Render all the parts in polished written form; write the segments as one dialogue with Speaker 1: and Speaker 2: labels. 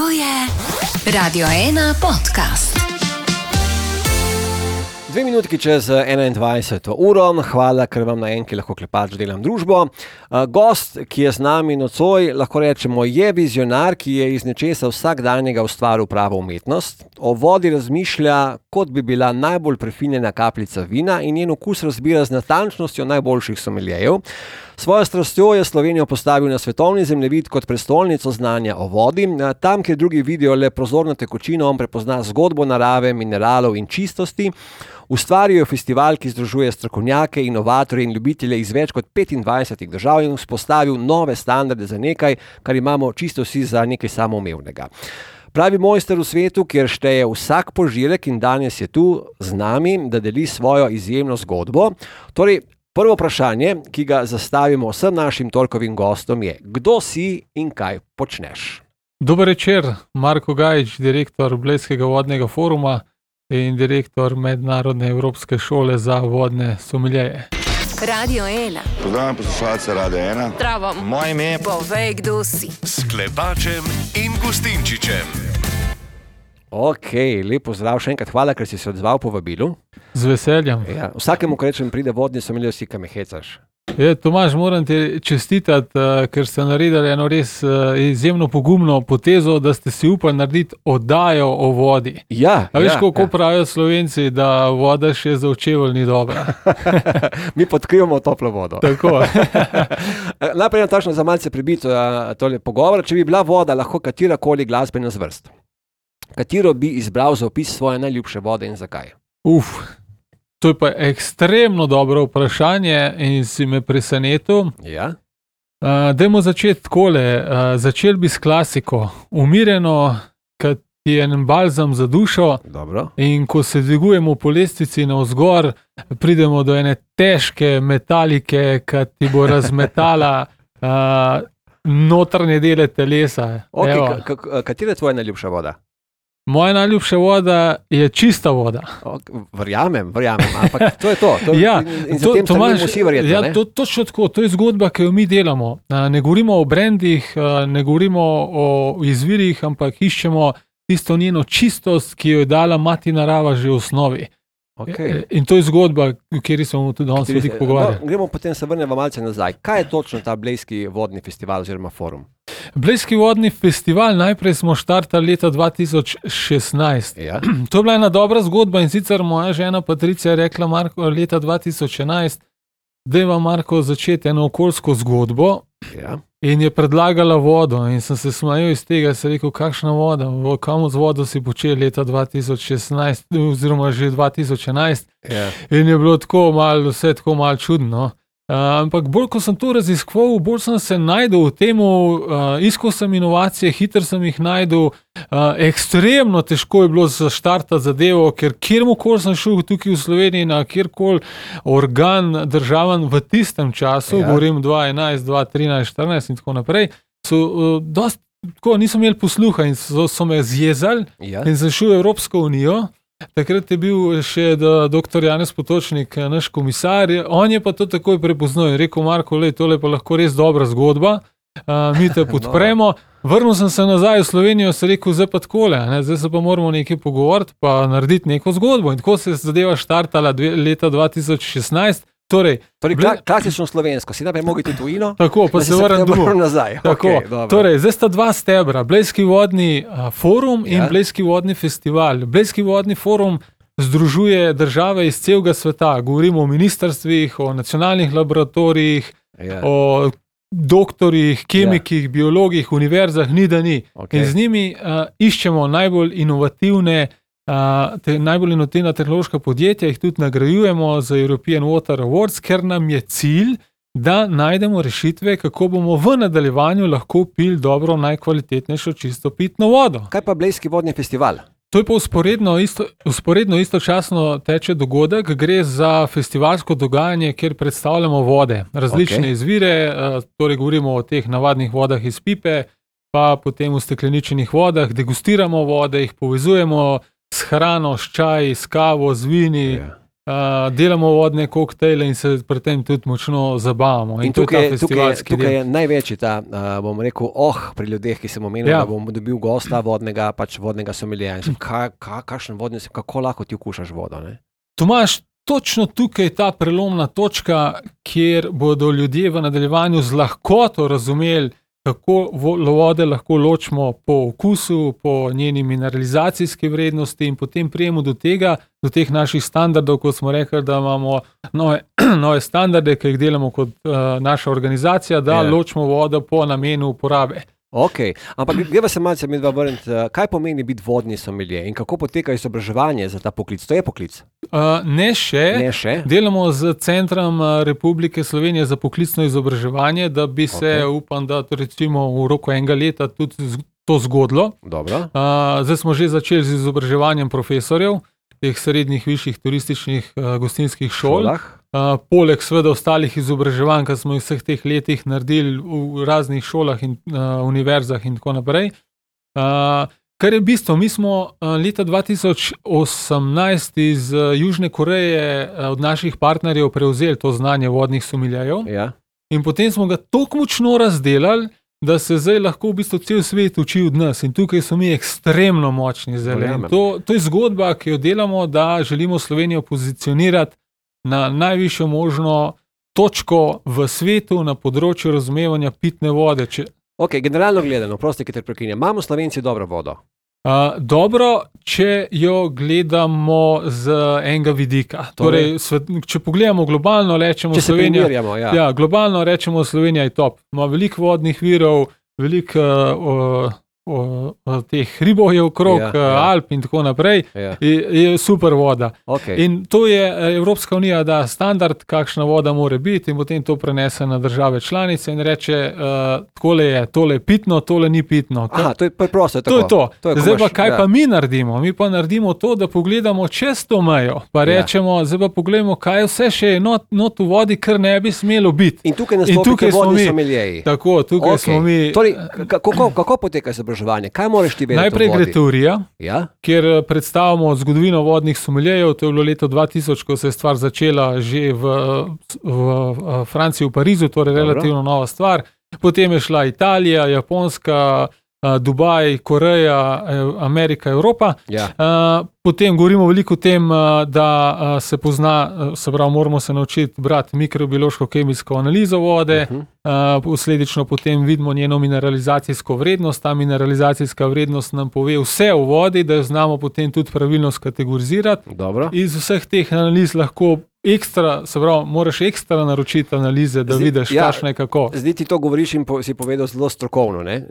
Speaker 1: To je Radio 1 podcast.
Speaker 2: 2 minutki čez 21. uro. Hvala, ker vam na enki lahko klepač delam družbo. Gost, ki je z nami nocoj, lahko rečemo, je vizionar, ki je iz nečesa vsakdanjega ustvaril pravo umetnost. O vodi razmišlja, kot bi bila najbolj prefinjena kapljica vina in njen okus razbira z natančnostjo najboljših someljejev. Svojo strastjo je Slovenijo postavil na svetovni zemljevid kot prestolnico znanja o vodi. Tam, kjer drugi vidijo le prozorno tekočino, on prepozna zgodbo narave, mineralov in čistosti. Ustvarijo festival, ki združuje strokovnjake, inovatorje in ljubitelje iz več kot 25 držav in vzpostavil nove standarde za nekaj, kar imamo čisto vsi za nekaj samoumevnega. Pravi mojster v svetu, kjer šteje vsak požirek in danes je tu z nami, da deli svojo izjemno zgodbo. Torej, prvo vprašanje, ki ga zastavimo vsem našim torkovim gostom je, kdo si in kaj počneš?
Speaker 3: Dober večer, Marko Gajič, direktor Blejskega vodnega foruma in direktor Mednarodne evropske šole za vodne someljeje.
Speaker 1: Radio 1.
Speaker 4: Pozdravljam poslušalce Radio 1.
Speaker 1: Zdravo.
Speaker 4: Moje ime je...
Speaker 1: Povej, kdo si.
Speaker 5: S Klepačem in Gustinčičem.
Speaker 2: Ok, lepo zdrav, še enkrat hvala, ker si se odzval po vabilu.
Speaker 3: Z veseljem.
Speaker 2: Ja, vsakemu, ko rečem, pride vodni somelje, vsi, kaj me hecaš.
Speaker 3: Tomaž, moram ti čestitati, ker ste naredili eno res izjemno pogumno potezo, da ste si upali narediti oddajo o vodi.
Speaker 2: Ja,
Speaker 3: a veš, kako pravijo Slovenci, da voda še za očevelj ni dobra.
Speaker 2: Mi podkrivamo toplo vodo.
Speaker 3: Tako.
Speaker 2: Najprej tačno za malce prebiti tole pogovor. Če bi bila voda lahko katerakoli glasbena zvrst, katero bi izbral za opis svoje najljubše vode in zakaj?
Speaker 3: To je pa ekstremno dobro vprašanje in si me presenetil.
Speaker 2: Ja.
Speaker 3: Dajmo začeti takole. Začel bi s klasiko. Umirjeno, kad je en balzam za dušo.
Speaker 2: Dobro.
Speaker 3: In ko se dvigujemo po lestvici navzgor, pridemo do ene težke metalike, kad ti bo razmetala notranje dele telesa.
Speaker 2: Okay, katera je tvoja najljubša voda?
Speaker 3: Moja najljubša voda je čista voda.
Speaker 2: Verjamem, ampak to je to. In za tem
Speaker 3: Tomaž,
Speaker 2: vsi verjetno,
Speaker 3: ja, točno tako, to je zgodba, ki jo mi delamo. Ne govorimo o brandih, ne govorimo o izvirih, ampak iščemo tisto njeno čistost, ki jo je dala mati narava že v osnovi.
Speaker 2: Okay.
Speaker 3: In to je zgodba, v kateri smo tudi danes veliko pogovarjali.
Speaker 2: Gremo potem se vrnemo malce nazaj. Kaj je točno ta Blejski vodni festival oziroma forum?
Speaker 3: Blejski vodni festival, najprej smo štartali leta 2016.
Speaker 2: Ja.
Speaker 3: To je bila ena dobra zgodba in sicer moja žena Patricija je rekla Marko leta 2011, dajva Marko začeti eno okoljsko zgodbo.
Speaker 2: Ja.
Speaker 3: In je predlagala vodo in sem se smejal iz tega, sem rekel, kakšna voda, kam z vodo si počel leta 2016 oziroma že 2011.
Speaker 2: Ja.
Speaker 3: In je bilo tako malo, vse tako malo čudno. Ampak bolj, ko sem to raziskoval, bolj sem se najdel v temu, iskal sem inovacije, hitro sem jih najdel, ekstremno težko je bilo zaštartati zadevo, ker kjerkoli sem šel tukaj v Sloveniji, na kjerkoli organ državan v tistem času, govorim 2011, 2013, 2014 in tako naprej, so tako, niso imeli posluha in so me zjezali in sem šel v Evropsko unijo. Takrat je bil še dr. Janez Potočnik, naš komisar, on je pa to takoj prepoznal in rekel, Marko, tole je pa lahko res dobra zgodba, mi te podpremo. Vrnil sem se nazaj v Slovenijo, sem rekel, zdaj pa takole, zdaj se pa moramo nekaj pogovoriti, pa narediti neko zgodbo. In tako se je zadeva štartala leta 2016. Torej,
Speaker 2: klasično slovensko, si naprej mogli tudi tujino,
Speaker 3: tako, pa se vrnem
Speaker 2: nazaj.
Speaker 3: Tako, torej, zdaj sta dva stebra, Blejski vodni forum in Blejski vodni festival. Blejski vodni forum združuje države iz celega sveta. Govorimo o ministrstvih, o nacionalnih laboratorijih, o doktorjih, kemikih, biologih, univerzah, ni da ni. In z njimi iščemo najbolj inovativne tehnološka podjetja, jih tudi nagrajujemo za European Water Awards, ker nam je cilj, da najdemo rešitve, kako bomo v nadaljevanju lahko pili dobro, najkvalitetnejšo čisto pitno vodo.
Speaker 2: Kaj pa Blejski vodni festival?
Speaker 3: To je pa usporedno istočasno teče dogodek, gre za festivalsko dogajanje, kjer predstavljamo vode, različne izvire, torej govorimo o teh navadnih vodah iz pipe, pa potem v stekleničenih vodah, degustiramo vode, jih povezujemo s hrano, s čaji, s kavo, z vini, delamo vodne koktejle in se pri tem tudi močno zabavamo.
Speaker 2: In tukaj je največji ta, bom rekel, pri ljudeh, ki sem omenil, da bom dobil gosta vodnega somelija. Kakšen vodni si, kako lahko ti okušaš vodo? Ne?
Speaker 3: Tomaž, točno tukaj je ta prelomna točka, kjer bodo ljudje v nadaljevanju z lahkoto razumeli, kako vode lahko ločimo po okusu, po njeni mineralizacijski vrednosti in potem prijemo do teh naših standardov, kot smo rekli, da imamo nove standarde, ki jih delamo kot naša organizacija, da ločimo vodo po namenu uporabe.
Speaker 2: Ok, ampak greva se malce medva vrniti, kaj pomeni biti vodni somelije in kako poteka izobraževanje za ta poklic? To je poklic?
Speaker 3: Ne še. Delamo z Centrom Republike Slovenije za poklicno izobraževanje, da bi se, upam, da recimo v roku enega leta tudi to zgodilo.
Speaker 2: Dobro.
Speaker 3: Zdaj smo že začeli z izobraževanjem profesorjev teh srednjih, višjih turističnih gostinskih šol. Poleg seveda ostalih izobraževanj, ki smo v vseh teh letih naredili v raznih šolah in univerzah in tako naprej. Kar je bistvo, mi smo leta 2018 iz Južne Koreje od naših partnerjev prevzeli to znanje vodnih someljejev.
Speaker 2: Ja.
Speaker 3: In potem smo ga toliko močno razdelali, da se zdaj lahko v bistvu cel svet uči od nas. In tukaj so mi ekstremno močni zeleni. To je zgodba, ki jo delamo, da želimo Slovenijo pozicionirati na najvišjo možno točko v svetu na področju razumevanja pitne vode.
Speaker 2: Ok, generalno gledano, prosti, ki te prekinjam, imamo Slovenci dobro vodo?
Speaker 3: Dobro, če jo gledamo z enega vidika. Torej, če pogledamo globalno, rečemo Slovenija. Globalno rečemo Slovenija je top. Ima veliko vodnih virov, veliko teh hribov je okrog, Alp in tako naprej, je super voda. In to je Evropska unija da standard, kakšna voda mora biti in potem to prenese na države članice in reče, tole je pitno, tole ni pitno.
Speaker 2: To je preprosto.
Speaker 3: To je to. Zdaj pa kaj pa mi naredimo? Mi pa naredimo to, da pogledamo čez to mejo, pa rečemo, zdaj pa pogledamo, kaj vse še je not v vodi, kar ne bi smelo biti.
Speaker 2: In tukaj nastopite vodni someljeji.
Speaker 3: Tako, tukaj smo mi.
Speaker 2: Torej, kako poteka izobraževanje? Kaj moraš ti vedeti?
Speaker 3: Najprej gre teorija, kjer predstavljamo zgodovino vodnih someljejev. To je bilo leto 2000, ko se je stvar začela že v Franciji, v Parizu, torej relativno nova stvar. Potem je šla Italija, Japonska, Dubaj, Koreja, Amerika, Evropa. Potem govorimo veliko o tem, da se pozna, se pravi, moramo se naučiti brati mikrobiološko-kemijsko analizo vode, posledično potem vidimo njeno mineralizacijsko vrednost. Ta mineralizacijska vrednost nam pove vse o vodi, da jo znamo potem tudi pravilno skategorizirati.
Speaker 2: Dobro.
Speaker 3: Iz vseh teh analiz lahko se pravi, moraš ekstra naročiti analize, da vidiš, kakšno je kako.
Speaker 2: Zdaj ti to govoriš in si povedal zelo strokovno, ne?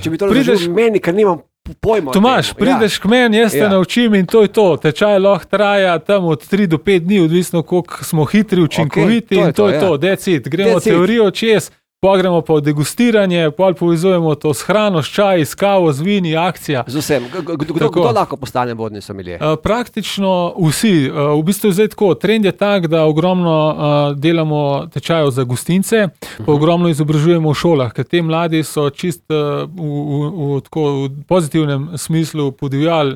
Speaker 2: Če bi to razložil meni, ker nimam pojma.
Speaker 3: Tomaž, prideš k meni, jaz te naučim in to je to. Tečaj lahko traja tam od 3 do 5 dni, odvisno koliko smo hitri, učinkoviti in to je to. That's it. Gremo teorijo čez, pogremo pa v degustiranje, pol povezujemo to s hrano, s čaji, s kavo, z vini, akcija.
Speaker 2: Z vsem. Kdo lahko postane vodni somelije?
Speaker 3: Praktično vsi. V bistvu je zdaj tako. Trend je tak, da ogromno delamo tečajev za gostince, pa ogromno izobražujemo v šolah, ker te mladi so čist v pozitivnem smislu podivjali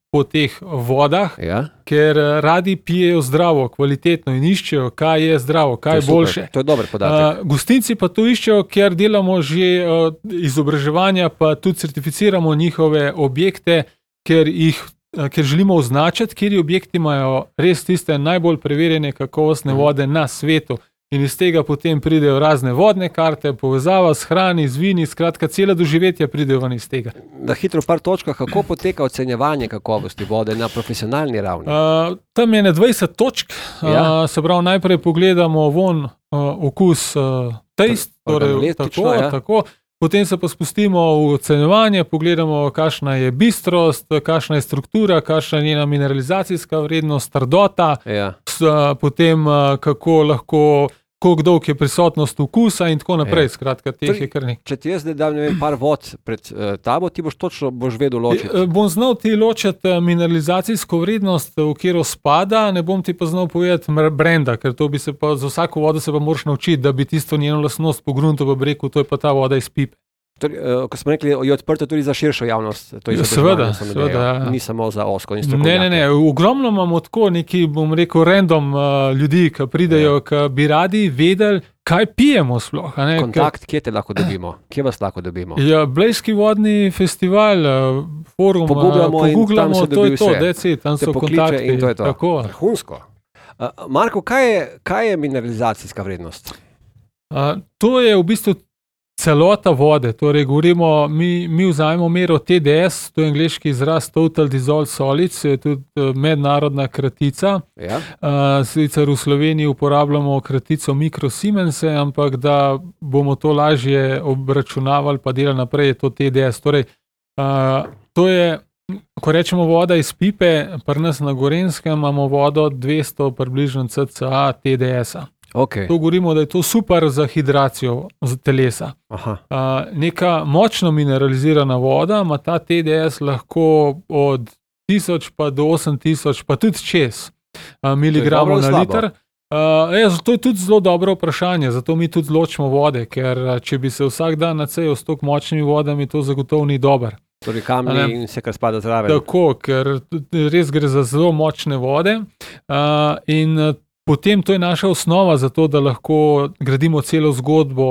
Speaker 3: po teh vodah, ker radi pijejo zdravo, kvalitetno in iščejo, kaj je zdravo, kaj je boljše.
Speaker 2: To je dober podatek.
Speaker 3: Gostinci pa to iščejo, ker delamo že izobraževanja, pa tudi certificiramo njihove objekte, ker želimo označiti, kateri objekti imajo res tiste najbolj preverjene kakovostne vode na svetu. In iz tega potem pridejo razne vodne karte, povezava s hrani, z vini, skratka, cela doživetja pridejo ven iz tega.
Speaker 2: Da hitro v par točkah, kako poteka ocenjevanje kakovosti vode na profesionalni ravni?
Speaker 3: Tam je na 20 točk, se pravi, najprej pogledamo von, okus, taste, torej tako. Potem se pa spustimo v ocenjevanje, pogledamo, kakšna je bistrost, kakšna je struktura, kakšna je njena mineralizacijska vrednost, trdota, potem kako lahko, koliko dolg je prisotnost okusa in tako naprej. Skratka, teh je kar nekaj.
Speaker 2: Če ti jaz zdaj dam par vod pred tabo, ti boš vedel ločiti.
Speaker 3: Bom znal ti ločiti mineralizacijsko vrednost, v katero spada, ne bom ti pa znal povedati brenda, ker to bi se pa za vsako vodo se pa moraš naučiti, da bi tisto njeno lastnost pogrunto pa rekel, to je pa ta voda iz pipe.
Speaker 2: Ko smo rekli, je odprto tudi za širšo javnost.
Speaker 3: Seveda.
Speaker 2: Ni samo za ozko in strokovnjake.
Speaker 3: Ne. Ogromno imamo tako neki, bom rekel, random ljudi, ki pridejo, ki bi radi vedeli, kaj pijemo sploh.
Speaker 2: Kontakt, kje te lahko dobimo? Kje vas lahko dobimo?
Speaker 3: Ja, Blejski vodni festival, forum, pogooglamo, to je to, tam so kontakti.
Speaker 2: In to je to.
Speaker 3: Tako.
Speaker 2: Vrhunsko. Marko, kaj je mineralizacijska vrednost?
Speaker 3: To je v bistvu celota vode, torej govorimo, mi vzajemo mero TDS, to je angleški izraz Total Dissolved Solids, je tudi mednarodna kratica.
Speaker 2: Ja.
Speaker 3: Sicer v Sloveniji uporabljamo kratico mikrosiemense, ampak da bomo to lažje obračunavali pa delali naprej, je to TDS. Torej, to je, ko rečemo voda iz pipe, pri nas na Gorenjskem imamo vodo 200 približno cca TDS-a.
Speaker 2: Okay.
Speaker 3: To govorimo, da je to super za hidracijo telesa. Neka močno mineralizirana voda ima ta TDS lahko od 1000 pa do 8000 pa tudi čez miligramov na liter. To je tudi zelo dobro vprašanje, zato mi tudi zločimo vode, ker če bi se vsak dan nacejal s toliko močnimi vodami, to zagotovo ni dober.
Speaker 2: Torej kamni in vse, kar spada zraven.
Speaker 3: Tako, ker res gre za zelo močne vode in potem to je naša osnova za to, da lahko gradimo celo zgodbo,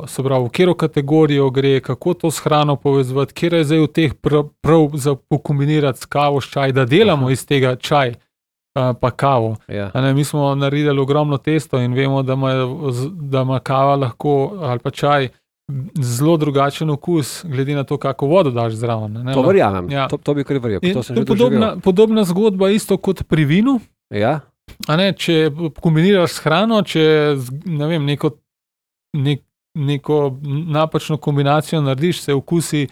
Speaker 3: se pravi, v katero kategorijo gre, kako to s hrano povezovati, kjer je zdaj v teh prav za pokombinirati s kavo, s čaj, da delamo iz tega čaj pa kavo.
Speaker 2: Ja.
Speaker 3: Mi smo naredili ogromno testo in vemo, da ima kava lahko ali pa čaj zelo drugačen okus, glede na to, kako vodo daš zraven.
Speaker 2: To verjamem,
Speaker 3: ja.
Speaker 2: To bi kar verjel. To sem že
Speaker 3: podobna zgodba isto kot pri vinu.
Speaker 2: Ja.
Speaker 3: Če kombiniraš s hrano, če neko napačno kombinacijo narediš, se okusi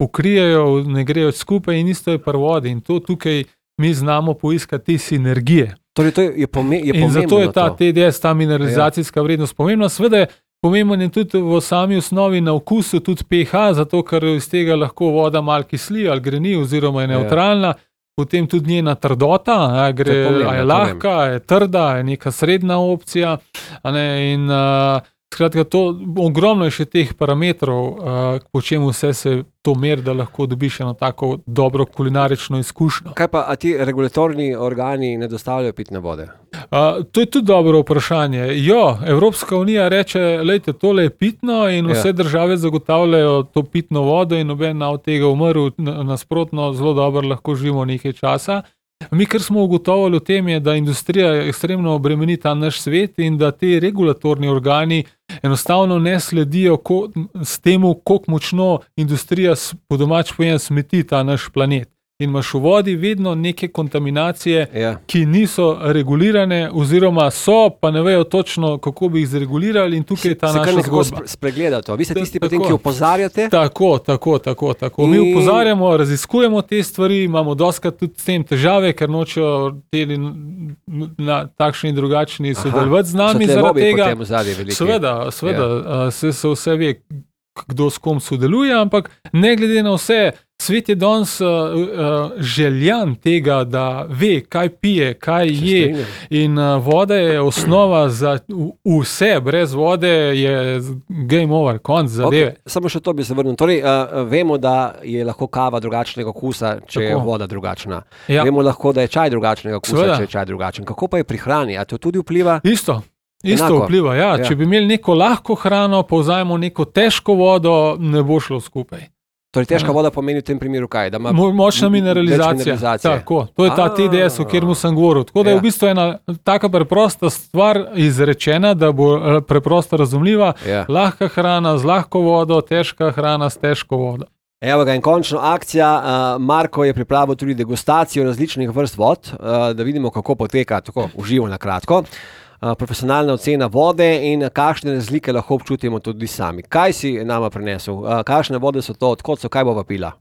Speaker 3: pokrijejo, ne grejo skupaj in isto je pri vodi. In to tukaj mi znamo poiskati sinergije.
Speaker 2: Torej, to je pomembno.
Speaker 3: In zato je ta TDS, ta mineralizacijska vrednost pomembna. Seveda je pomembno tudi v sami osnovi na okusu, tudi pH, zato ker iz tega lahko voda malo kisli ali greni oziroma je nevtralna. Potem tudi njena trdota, je lahka, je trda, je neka srednja opcija. In skratka, ogromno je še teh parametrov, po čemu vse se to meri, da lahko dobiš eno tako dobro kulinarično izkušnjo.
Speaker 2: Kaj pa, a ti regulatorni organi ne dostavljajo pitne vode?
Speaker 3: To je tudi dobro vprašanje. Evropska unija reče, lejte, tole je pitno in vse države zagotavljajo to pitno vodo in noben od tega umrl, nasprotno zelo dobro lahko živimo nekaj časa. Mi, kar smo ugotovili v tem, je, da industrija ekstremno obremeni ta naš svet in da ti regulatorni organi enostavno ne sledijo s temu, koliko močno industrija po domač povedano smeti ta naš planet. In imaš v vodi vedno neke kontaminacije, ki niso regulirane oziroma so, pa ne vejo točno, kako bi jih zregulirali in tukaj je ta naša zgodba.
Speaker 2: Spregleda to. Vi ste tisti potem, ki opozarjate?
Speaker 3: Tako. Mi opozarjamo, raziskujemo te stvari, imamo dostikrat tudi s tem težave, ker nočejo na takšni in drugačni sodelovati z nami zaradi tega. Seveda, se vse ve, kdo s kom sodeluje, ampak ne glede na vse, svet je danes željan tega, da ve, kaj pije, kaj je in voda je osnova za vse. Brez vode je game over, konc zadeve.
Speaker 2: Samo še to bi se vrnil. Torej, vemo, da je lahko kava drugačnega okusa, če je voda drugačna. Vemo lahko, da je čaj drugačnega okusa, če je čaj drugačen. Kako pa je pri hrani? A to tudi vpliva?
Speaker 3: Isto vpliva, ja. Če bi imeli neko lahko hrano, pa vzajemo neko težko vodo, ne bo šlo skupaj.
Speaker 2: Torej, težka voda pomeni v tem primeru kaj? Da ima
Speaker 3: močna mineralizacija. Tako, to je ta TDS, o katerem sem govoril. Tako da je v bistvu ena taka preprosta stvar izrečena, da bo preprosto razumljiva. Lahka hrana z lahko vodo, težka hrana s težko vodo.
Speaker 2: Evo ga in končno akcija. Marko je pripravil tudi degustacijo različnih vrst vod, da vidimo, kako poteka, tako uživo na kratko. Profesionalna ocena vode in kakšne razlike lahko občutimo tudi sami. Kaj si nama prinesel? Kakšne vode so to? Odkot so? Kaj bova pila?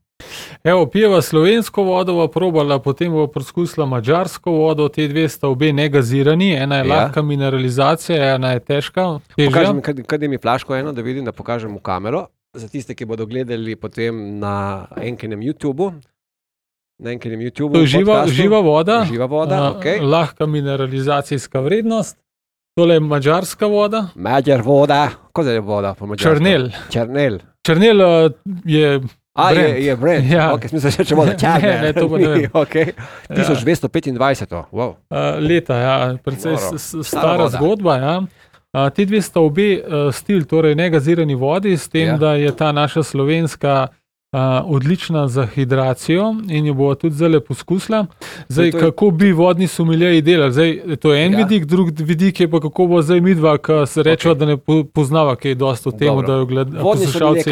Speaker 3: Pijeva slovensko vodo, bova probala, potem bova preskusila madžarsko vodo, te dve sta obe negazirani, ena je lahka mineralizacija, ena je težka.
Speaker 2: Pokaži mi, kaj mi flaško eno, da vidim, da pokažem v kamero. Za tiste, ki bodo gledali potem na enkinem YouTubeu.
Speaker 3: To je živa voda,
Speaker 2: okay.
Speaker 3: Lahka mineralizacijska vrednost. Tole je madžarska voda.
Speaker 2: Madžar voda. Kaj je voda po madžarsku?
Speaker 3: Črnel. Črnel je brand.
Speaker 2: Je brand.
Speaker 3: Ja.
Speaker 2: Okay, smisel, če bodo črne.
Speaker 3: Ne, to pa ne vem.
Speaker 2: Okay. 1225. Wow.
Speaker 3: Leta, ja, precej stara
Speaker 2: voda.
Speaker 3: zgodba. Ja. Ti dve sta obe stil, torej negazirani vodi, s tem, da je ta naša slovenska odlična za hidracijo in jo bo tudi zdaj poskusila. Zdaj, kako bi vodni someljeji delali? Zdaj, to je en vidik, drug vidik je pa kako bo zdaj midva, ki se rečeva, da ne poznava kaj dosti o tem, da jo poslušalci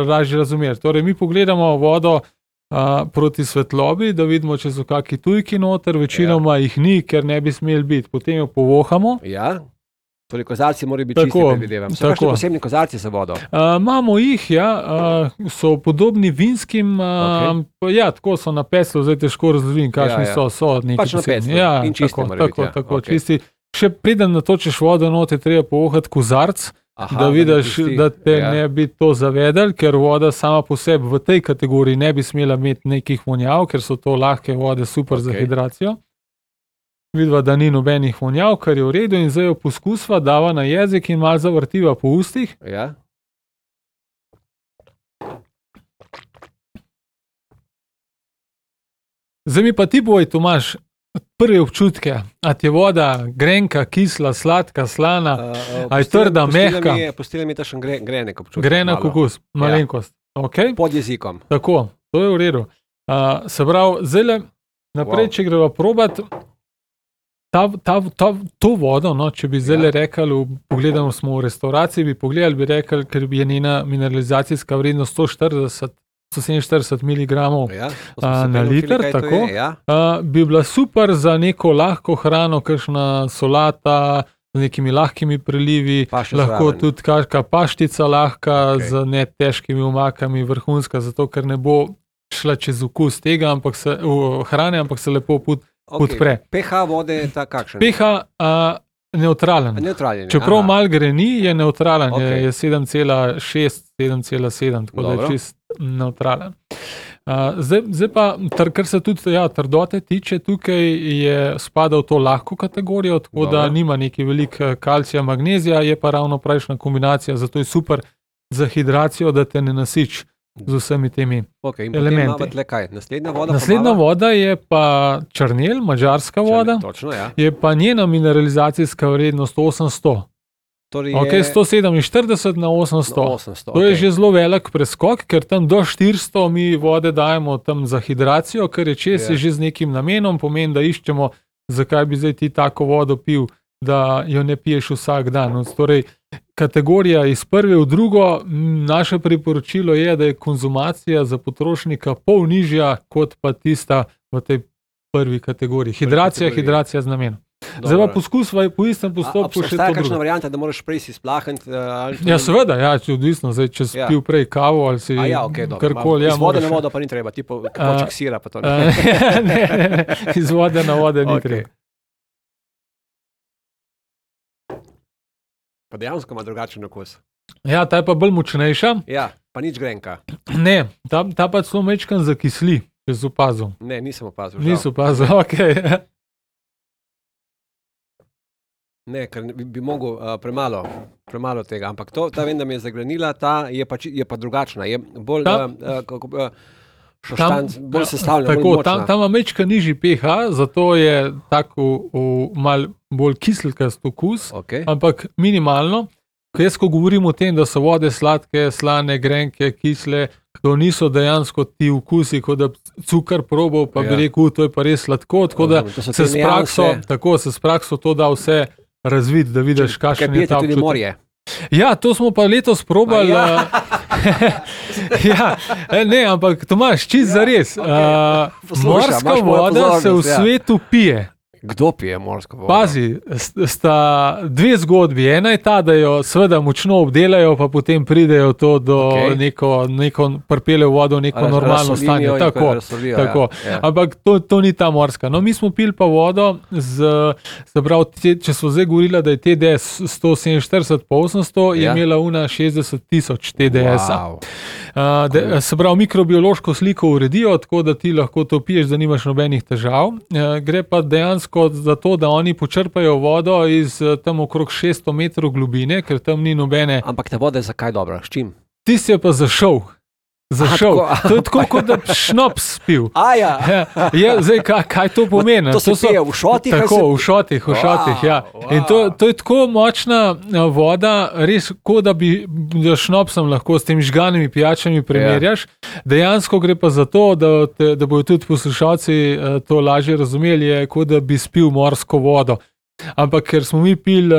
Speaker 3: lažje razumeli. Torej, mi pogledamo vodo proti svetlobi, da vidimo, če so kakšni tujki noter, večinoma jih ni, ker ne bi smeli biti. Potem jo povohamo.
Speaker 2: Ja. Torej, kozarci morajo biti čisti, predvidevam. So kakšni posebni kozarci za vodo?
Speaker 3: Imamo jih, ja, so podobni vinskim, ja, tako so na peslu, zdaj težko razložim, kakšni so neki
Speaker 2: pač
Speaker 3: posebni.
Speaker 2: Ja, in čisti morajo biti.
Speaker 3: Tako, čisti. Še preden natočiš vodo not, je treba povohati kozarc, da vidiš, da te ne bi to zavedel, ker voda sama po sebi v tej kategoriji ne bi smela imeti nekih vonjav, ker so to lahke vode, super za hidracijo. Vidva, da ni nobenih vonjav, kar je v redu, in zdaj jo poskusva, dava na jezik in malo zavrtiva po ustih.
Speaker 2: Ja.
Speaker 3: Zdaj mi pa ti boj, Tomaž, prve občutke. A ti je voda grenka, kisla, sladka, slana, a je trda, mehka?
Speaker 2: Pustila mi tašen grenek občutek.
Speaker 3: Grenek okus, malenkost. Okay.
Speaker 2: Pod jezikom.
Speaker 3: Tako, to je v redu. Se pravi, zdaj naprej, če greva probat, to vodo, no, če bi zdaj rekli, pogledamo smo v restauraciji, bi pogledali, bi rekli, ker je njena mineralizacijska vrednost 147 mg na liter, tako, bi bila super za neko lahko hrano, kakšna solata z nekimi lahkimi prelivi, lahko tudi kakšna paštica lahka z ne težkimi omakami, vrhunska, zato ker ne bo šla čez okus tega, hrane, ampak se lepo podpre.
Speaker 2: pH vode je ta kakšen?
Speaker 3: pH neutralen. Čeprav mal greni, je neutralen, je 7,6, 7,7, tako da je čist neutralen. Zdaj pa, kar se tudi trdote tiče, tukaj je spada v to lahko kategorijo, tako da nima neki velik kalcija, magnezija, je pa ravno prejšnja kombinacija, zato je super za hidracijo, da te ne nasič z vsemi temi elementi. Naslednja voda je pa črnel, madžarska voda, je pa njena mineralizacijska vrednost 800. 147 na 800. To je že zelo velik preskok, ker tam do 400 mi vode dajemo tam za hidracijo, ker je čez je že z nekim namenom, pomeni, da iščemo, zakaj bi zdaj ti tako vodo pil, da jo ne piješ vsak dan. Torej, kategorija iz prve v drugo, naše priporočilo je, da je konzumacija za potrošnika pol nižja, kot pa tista v tej prvi kategoriji. Hidracija z namenom. Zdaj pa poskusva po istem postopku še to drugo.
Speaker 2: Obstaja kakšna varianta, da moraš prej si splahniti?
Speaker 3: Ja, seveda, odvisno. Zdaj, če si pil prej kavo ali si karkoli.
Speaker 2: Iz vode na vodo pa ni treba, tipo koček sira pa to
Speaker 3: ne. Ne, iz vode na vode ni treba.
Speaker 2: Pa dejansko ima drugačen okus.
Speaker 3: Ja, ta je pa bolj močnejša.
Speaker 2: Ja, pa nič grenka.
Speaker 3: Ne, ta pa celo mečkan zakisli, če si opazil.
Speaker 2: Ne, nisem opazil.
Speaker 3: Nisem opazil, okej.
Speaker 2: Ne, ker bi mogel premalo tega, ampak ta vem, da mi je zagrenila, ta je pa drugačna, je bolj bolj sestavljena, bolj močna.
Speaker 3: Tam ima mečka nižji pH, zato je tako mal bolj kiselkast okus, ampak minimalno. Ko govorim o tem, da so vode sladke, slane, grenke, kisle, to niso dejansko ti okusi, kot da cukor probal, pa bi rekel, to je pa res sladko, tako da se s prakso to da vse razvid, da vidiš, kakšen je ta občutek.
Speaker 2: Tudi morje.
Speaker 3: Ja, to smo pa letos probali. Ne, ampak Tomaž, čist zares. Morska voda se v svetu pije.
Speaker 2: Kdo pije morsko vodo?
Speaker 3: Pazi, sta dve zgodbi. Ena je ta, da jo seveda močno obdelajo, pa potem pridejo to do neko pripeljejo vodo v neko normalno stanje. Tako. Ampak to ni ta morska. No, mi smo pili pa vodo če smo zdaj govorili, da je TDS 147 pa 800, je imela una 60,000 TDS-a. Se pravi, mikrobiološko sliko uredijo, tako da ti lahko to piješ, da nimaš nobenih težav. Gre pa dejansko kot za to, da oni počrpajo vodo iz tam okrog 600 metrov globine, ker tam ni nobene.
Speaker 2: Ampak ta voda je zakaj dobra? S čim?
Speaker 3: Tisti je pa zašel. To je tako, kot da bi šnops pil. Zdaj, kaj to pomeni?
Speaker 2: To se pije v šotih?
Speaker 3: Tako, v šotih, ja. In to je tako močna voda, res, kot da bi šnopsom lahko s temi žganimi pijačami primerjaš. Dejansko gre pa za to, da bojo tudi poslušalci to lažje razumeli, je kot da bi spil morsko vodo. Ampak ker smo mi pili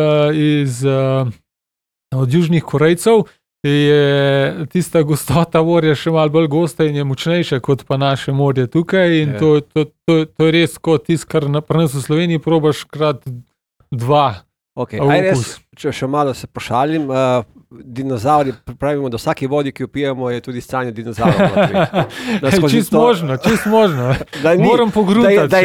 Speaker 3: od Južnih Korejcev, je tista gostota morja še malo bolj gosta in je močnejša kot pa naše morje tukaj in to je res kot tisto, kar pri nas v Sloveniji probaš krat 2.
Speaker 2: Če še malo se pošalim, dinozauri, pravimo, da vsaki vodi, ki jo pijemo, je tudi stanje dinozaurov.
Speaker 3: Čist možno. Moram pogruntati.
Speaker 2: Da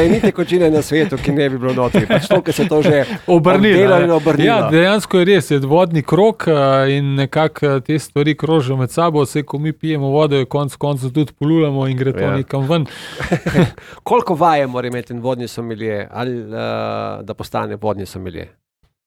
Speaker 2: je ni tekočine na svetu, ki ne bi bilo notri. Pač to, ker se to že
Speaker 3: obrnilo. Ja, dejansko je res, je vodni krog in nekako te stvari krožijo med sabo, vse, ko mi pijemo vodo, jo konec koncev tudi polulamo in gre to nekam ven.
Speaker 2: Koliko vaje mora imeti en vodni sommelier, ali da postane vodni sommelier?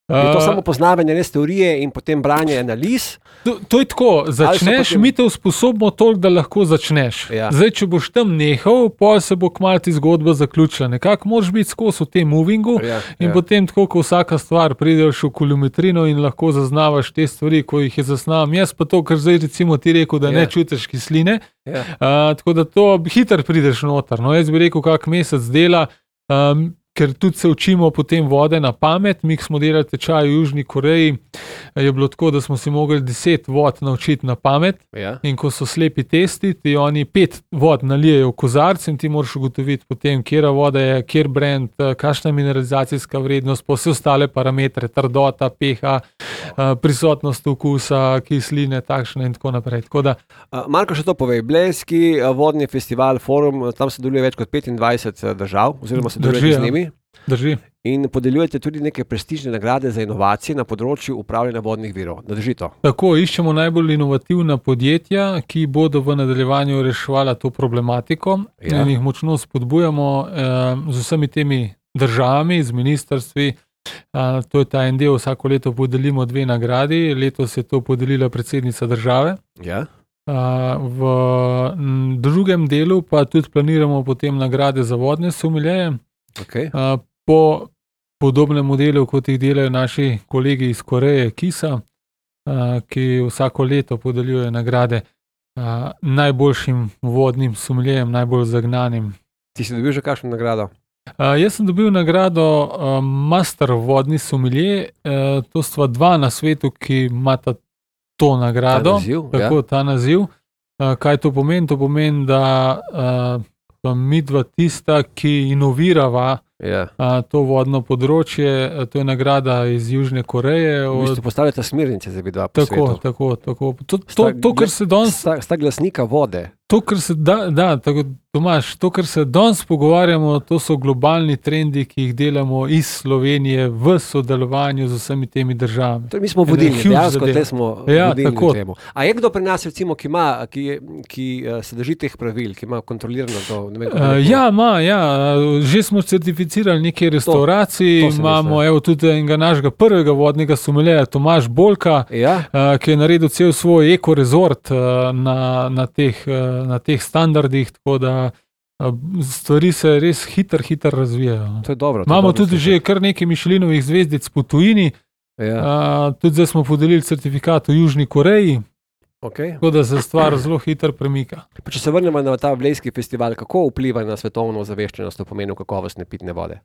Speaker 2: Je to samo poznavanje res teorije in potem branje analiz?
Speaker 3: To je tako, začneš, mi te usposobimo toliko, da lahko začneš. Zdaj, če boš tam nehal, potem se bo kmalu ti zgodba zaključila. Nekako moraš biti skozi v tem movingu in potem tako, ko vsaka stvar prideš v kilometrino in lahko zaznavaš te stvari, ko jih je zasnavam. Jaz pa to, kar zdaj recimo ti rekel, da ne čutiš kisline, tako da to hitro prideš noter. No, jaz bi rekel, kak mesec dela, ker tudi se učimo potem vode na pamet. Mi smo delali tečaj v Južni Koreji, je bilo tako, da smo si mogli 10 vod naučiti na pamet in ko so slepi testi, ti oni 5 vod nalijejo v kozarc in ti moraš ugotoviti potem, kjera voda je, kjer brand, kakšna mineralizacijska vrednost, pa vse ostale parametre, trdota, pH, prisotnost okusa, kisline, takšne in tako naprej.
Speaker 2: Marko še to povej, Blejski vodni festival, forum, tam se deluje več kot 25 držav, oziroma se deluje z njimi.
Speaker 3: Drži.
Speaker 2: In podeljujete tudi neke prestižne nagrade za inovacije na področju upravljanja vodnih virov. Drži to?
Speaker 3: Tako, iščemo najbolj inovativna podjetja, ki bodo v nadaljevanju reševala to problematiko in jih močno spodbujamo z vsemi temi državami, z ministrstvi. To je ta en del, vsako leto podelimo 2 nagradi, letos je to podelila predsednica države. V drugem delu pa tudi planiramo potem nagrade za vodne sommelierje. Po podobnem modelu, kot jih delajo naši kolegi iz Koreje, KISA, ki vsako leto podeljuje nagrade najboljšim vodnim sommelierjem, najbolj zagnanim.
Speaker 2: Ti si dobil že kakšno nagrado?
Speaker 3: Jaz sem dobil nagrado Master vodni sommelier, to sta 2 na svetu, ki imata to nagrado. Ta naziv. Kaj to pomeni? To pomeni, da midva tista, ki inovirava to vodno področje, to je nagrada iz Južne Koreje.
Speaker 2: V bistvu postavljate smernice za vidva po svetu.
Speaker 3: Tako. To, kar se danes...
Speaker 2: Sta glasnika vode.
Speaker 3: To, kar se Tomaž, to, kar se danes pogovarjamo, to so globalni trendi, ki jih delamo iz Slovenije v sodelovanju z vsemi temi državami.
Speaker 2: Mi smo vodilni, dejansko te smo vodilni v temu. A je kdo pri nas, recimo, ki se drži teh pravil, ki ima kontrolirano to?
Speaker 3: Ima. Že smo certificirali nekaj restauracij, imamo tudi enega našega prvega vodnega sommelierja, Tomaž Bolka, ki je naredil cel svoj ekorezort na teh standardih, tako da stvari se res hitro razvijajo.
Speaker 2: To je dobro.
Speaker 3: Imamo tudi že kar nekaj Michelinovih zvezdic po tujini, tudi zdaj smo podelili certifikat v Južni Koreji, tako da se stvar zelo hitro premika.
Speaker 2: Pa če se vrnemo na ta Blejski festival, kako vpliva na svetovno ozaveščenost v pomenu kakovostne pitne vode?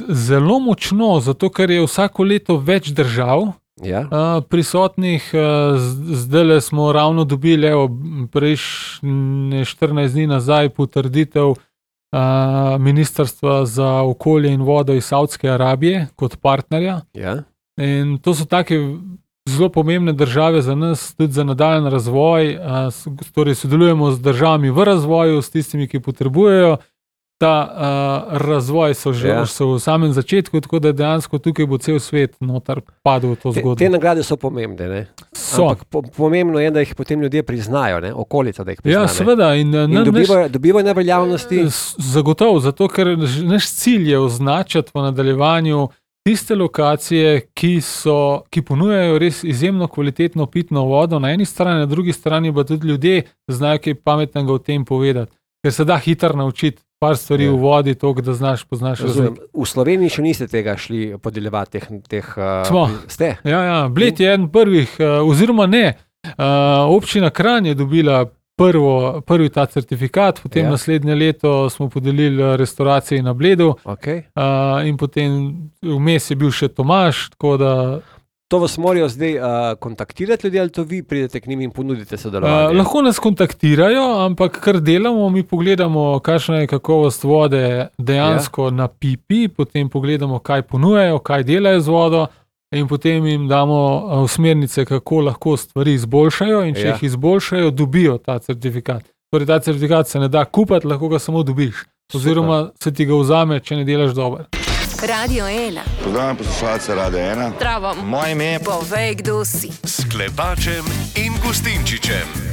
Speaker 3: Zelo močno, zato ker je vsako leto več držav prisotnih. Zdaj smo ravno dobili prejšnje 14 dni nazaj potrditev Ministrstva za okolje in vodo iz Saudske Arabije kot partnerja. In to so take zelo pomembne države za nas, tudi za nadaljen razvoj. Torej sodelujemo z državami v razvoju, s tistimi, ki potrebujejo ta razvoj so že so v samem začetku, tako da dejansko tukaj bo cel svet notar padel v to zgodbo.
Speaker 2: Te nagrade so pomembne, ne? Ampak pomembno je, da jih potem ljudje priznajo, ne? Okolica, da jih prizna.
Speaker 3: Ja, seveda. In
Speaker 2: dobivajo na veljavnosti?
Speaker 3: Zagotovo, zato ker naš cilj je označiti v nadaljevanju tiste lokacije, ki ponujajo res izjemno kvalitetno pitno vodo na eni strani, na drugi strani pa tudi ljudje znajo kaj pametnega o tem povedati. Ker se da hitro naučiti par stvari v vodi, toliko, da poznaš razumem.
Speaker 2: V Sloveniji še niste tega šli podeljevati teh ste?
Speaker 3: Ja, Bled je eden prvih, oziroma ne. Občina Kranj je dobila prvi ta certifikat, potem naslednje leto smo podelili restauraciji na Bledu, in potem vmes je bil še Tomaž, tako da...
Speaker 2: To vas morajo zdaj kontaktirati ljudi, ali to vi pridete k njim in ponudite sodelovanje?
Speaker 3: Lahko nas kontaktirajo, ampak kar delamo, mi pogledamo, kakšna je kakovost vode dejansko na pipi, potem pogledamo, kaj ponujajo, kaj delajo z vodo in potem jim damo smernice, kako lahko stvari izboljšajo in če jih izboljšajo, dobijo ta certifikat. Torej ta certifikat se ne da kupati, lahko ga samo dobiš. Oziroma se ti ga vzame, če ne delaš dobro.
Speaker 1: Radio 1.
Speaker 4: Pozdravljam poslušalce Radio 1.
Speaker 1: Zdravo.
Speaker 5: Moje ime je
Speaker 1: Povej, kdo si.
Speaker 5: S Klepačem in Gustinčičem.